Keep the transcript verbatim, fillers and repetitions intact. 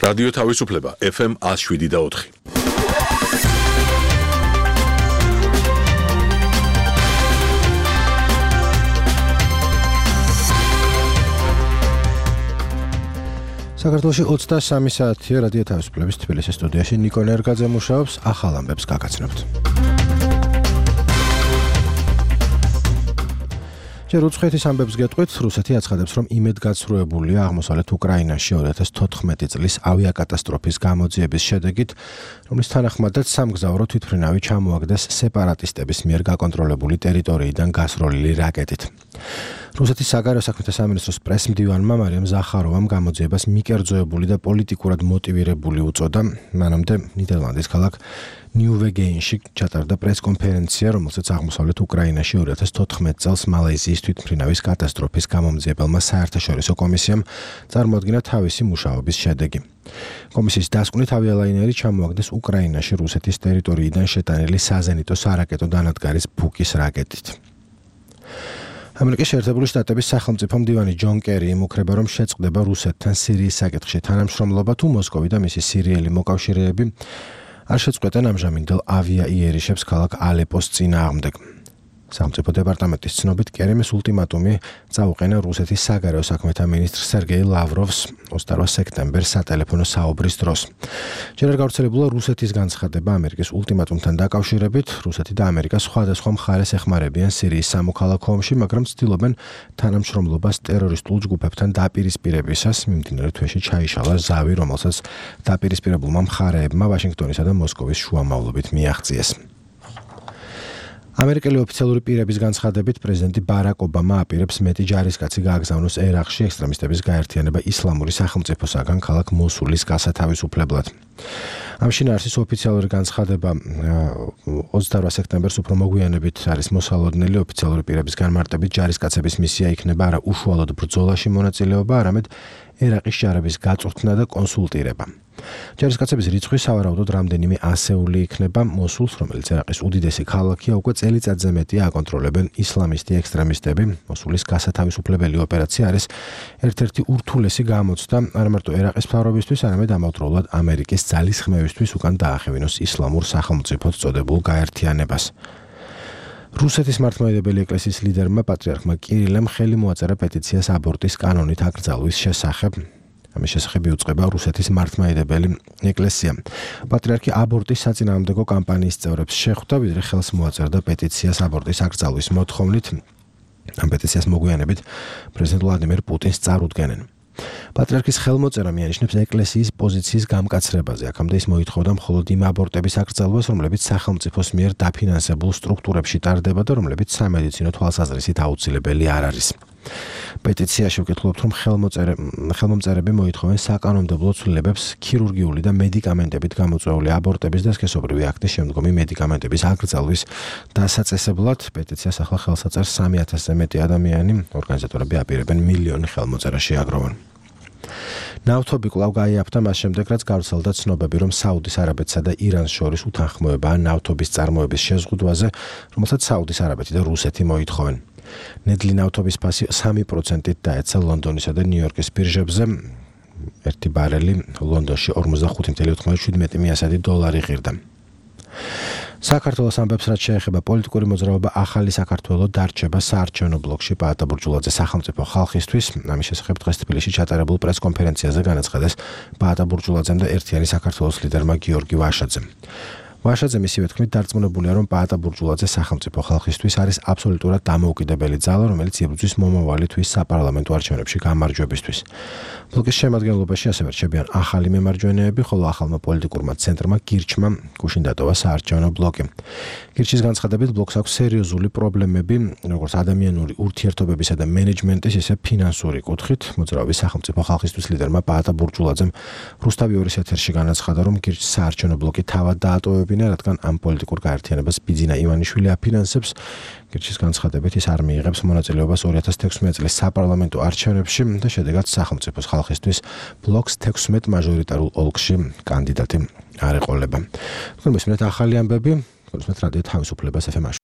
რადიო თავისუფლება ეფ ემ ათს შვიდი და ოთხი. საქართველოში ოცდასამი საათია რადიო თავისუფლების თბილისის სტუდიაში ნიკო ნერგაძე მუშაობს, ახალ ამბებს გაგაცნობთ. ჯერ უცხოეთის ამბებს გეტყვით, რუსეთი აცხადებს, რომ იმედგაცრუებულია აღმოსავლეთ უკრაინაში ორი ათას თოთხმეტი წლის ავიაკატასტროფის გამოძიების შედეგით, რომლის თანახმადაც სამგზავრო თვითმფრინავი ჩამოაგდეს სეპარატისტების მიერ გაკონტროლებული ტერიტორიიდან გასროლილი რაკეტით. რუსეთის საგარეო საქმეთა სამინისტროს პრესმდივანმა მარიამ ზახაროვამ გამოძიებას მიკერძოებული და პოლიტიკურად მოტივირებული უწოდა, მანამდე ნიდერლანდის ქალაქ ნიუვეგეინში ჩატარდა პრესკონფერენცია, რომელსაც აღმოსავლეთ უკრაინაში ორი ათას თოთხმეტ წელს მალაიზიის თვითმფრინავის კატასტროფის გამომძიებელმა საერთაშორისო კომისიამ წარმოადგინა თავისი მუშაობის შედეგი. კომისიის დასკვნით ავიალაინერი ჩამოაგდეს უკრაინაში რუსეთის ტერიტორიიდან შეტანილი საზენიტო სარაკეტო დანადგარის ბუკის რაკეტით. ამერიკის შეერთებული შტატების სახელმწიფო მდივანი ჯონ კერი იმუქრება, რომ შეწყდება რუსეთთან სირიის საკითხში თანამშრომლობა, თუ მოსკოვი და მისი სირიელი მოკავშირეები არ შეწყვეტენ ამჟამინდელ ავიაიერიშებს ქალაქ ალეპოს წინააღმდეგ. სახელმწიფო დეპარტამენტის ცნობით კერიმის ულტიმატუმი წაუყენა რუსეთის საგარეო საქმეთა მინისტრ სერგეი ლავროვს ოცდაოთხ სექტემბერს სატელეფონო საუბრის დროს. ჯერ არ გავრცელებულა რუსეთის განცხადება ამერიკის ულტიმატუმთან დაკავშირებით. რუსეთი და ამერიკა სხვადასხვა მხარეს ეხმარებიან სირიის სამოქალაქო ომში, მაგრამ ცდილობენ თანამშრომლობას ტერორისტულ ჯგუფებთან დაპირისპირებისას. მიმდინარე თვეში ჩაიშალა ზავი, რომელსაც დაპირისპირებულმა მხარეებმა ვაშინგტონისა და მოსკოვის შუამავლობით მიაღწიეს. ამერიკელი ოფიციალური პირების განცხადებით პრეზიდენტი ბარაკ ობამა აპირებს მეტი ჯარისკაცი გააგზავნოს ერაყში ექსტრემისტების გაერთიანება ისლამური სახელმწიფოსაგან ქალაქ მოსულის გასათავისუფლებლად. ამ შინაარსის ოფიციალური განცხადება ოცდაოთხ სექტემბერს უფრო მოგვიანებით არის მოსალოდნელი. ოფიციალური პირების განმარტებით ჯარისკაცების მისია იქნება არა უშუალოდ ბრძოლაში მონაწილეობა, არამედ ერაყის ჯარების გაწვრთნა და კონსულტირება. ჯარისკაცების რიცხვი სავარაუდოდ რამდენიმე ასეული იქნება. მოსულს, რომელიც ერაყის უდიდესი ქალაქია, უკვე წელიწადზე მეტია აკონტროლებენ ისლამისტი ექსტრემისტები. მოსულის გასათავისუფლებელი ოპერაცია არის ერთ-ერთი ურთულესი გამოცდა არა მარტო ერაყის მთავრობისთვის, არამედ ამავდროულად ამერიკის ძალისხმევისთვის უკან დაახევინოს ისლამურ სახელმწიფოდ წოდებულ გაერთიანებას. რუსეთის მართლმადიდებელი ეკლესიის ლიდერმა პატრიარქმა კირილემ ხელი მოაწერა პეტიციას აბორტის კანონით აკრძალვის შესახებ. ამის შესახებ იუწყება რუსეთის მართლმადიდებელი ეკლესია. პატრიარქი აბორტის საწინააღმდეგო კამპანიის წევრებს შეხვდა, ვიდრე ხელს მოაწერდა პეტიციას აბორტის აკრძალვის მოთხოვნით. ამ პეტიციას მოგვიანებით პრეზიდენტ ვლადიმერ პუტინს წარუდგენენ. პატრიარქის ხელმოწერა მიანიშნებს ეკლესიის პოზიციის გამკაცრებაზე. აქამდე ის მოითხოვდა მხოლოდ იმ აბორტების აკრძალვას, რომლებიც სახელმწიფოს მიერ დაფინანსებულ სტრუქტურებში ტარდება და რომლებიც სამედიცინო თვალსაზრისით აუცილებელი არ არის. პეტიციაში ვკითხულობთ, რომ ხელმომწერები მოითხოვენ საკანონმდებლო ცვლილებებს ქირურგიული და მედიკამენტებით გამოწვეული აბორტების და სქესობრივი აქტის შემდგომი მედიკამენტების აკრძალვის დასაწესებლად. პეტიციას ახლა ხელს აწერს სამი ათასზე მეტი ადამიანი. ორგანიზატორები აპირებენ მილიონი ხელმოწერა შეაგროვონ. ნავთობი კვლავ გაიაფთა მას შემდეგ, რაც გავრცელდა ცნობები, რომ საუდის არაბეთსა და ირანს შორის უთანხმოებაა ნავთობის წარმოების შეზღუდვაზე, რომელსაც საუდის არაბეთი და რუსეთი მოითხოვენ. ნედლი ნავთობის ფასი სამი პროცენტით დაეცა ლონდონისა და ნიუ-იორკის ბირჟებზე. ერთი ბარელი ლონდონში ორმოცდახუთი კoma ოთხმოცდაშვიდი მიასადი დოლარი ღირდა. საქართველოს ამბებს, რაც შეეხება პოლიტიკური მოძრაობა ახალი საქართველო დარჩება საარჩევნო ბლოკში პაატა ბურჯულაძე სახელმწიფო ხალხისთვის. ამის შესახებ დღეს თბილისში ჩატარებულ პრესკონფერენციაზე განაცხადეს პაატა ბურჯულაძემ და ერთიანი საქართველოს ლიდერმა გიორგი ვაშაძემ. ვაშაძე მისივე თქმით დარწმუნებულია, რომ პაატა ბურჯულაძე სახელმწიფო ხალხისთვის არის აბსოლუტურად დამოუკიდებელი ძალა, რომელიც იბრძვის მომავალი თვის საპარლამენტო არჩევნებში გამარჯვებისთვის. ბლოკის შემადგენლობაში ასევე რჩებიან ახალი მემარჯვენეები, ხოლო ახალმა პოლიტიკურმა ცენტრმა გირჩმა გუშინ დატოვა საარჩევნო ბლოკი. გირჩის განცხადებით ბლოკს აქვს სერიოზული პრობლემები, როგორც ადამიანური ურთიერთობებისა და მენეჯმენტის, ისე ფინანსური კუთხით. მოძრაობის სახელმწიფო ხალხისთვის ლიდერმა პაატა ბურჯულაძემ რუსთავი ორის ეთერში განაცხადა, რომ გირჩის საარჩევნო ბლოკი თავად დაატოვებინა, რადგან ამ პოლიტიკურ გაერთიანებას ბიძინა ივანიშვილი აფინანსებს. გირჩის განცხადებით ის არ მიიღებს მონაწილეობას ორი ათას თექვსმეტ წლის საპარლამენტო არჩევნებში და შედეგად სახელმწიფოს ხალხისთვის ბლოკს თექვსმეტ მაჟორიტარულ ოლქში კანდიდატი არ ეყოლება. თქვენ მისმენთ ახალი ამბები, თქვენ მისმენთ რადიო თავისუფლებას ეფ ემ.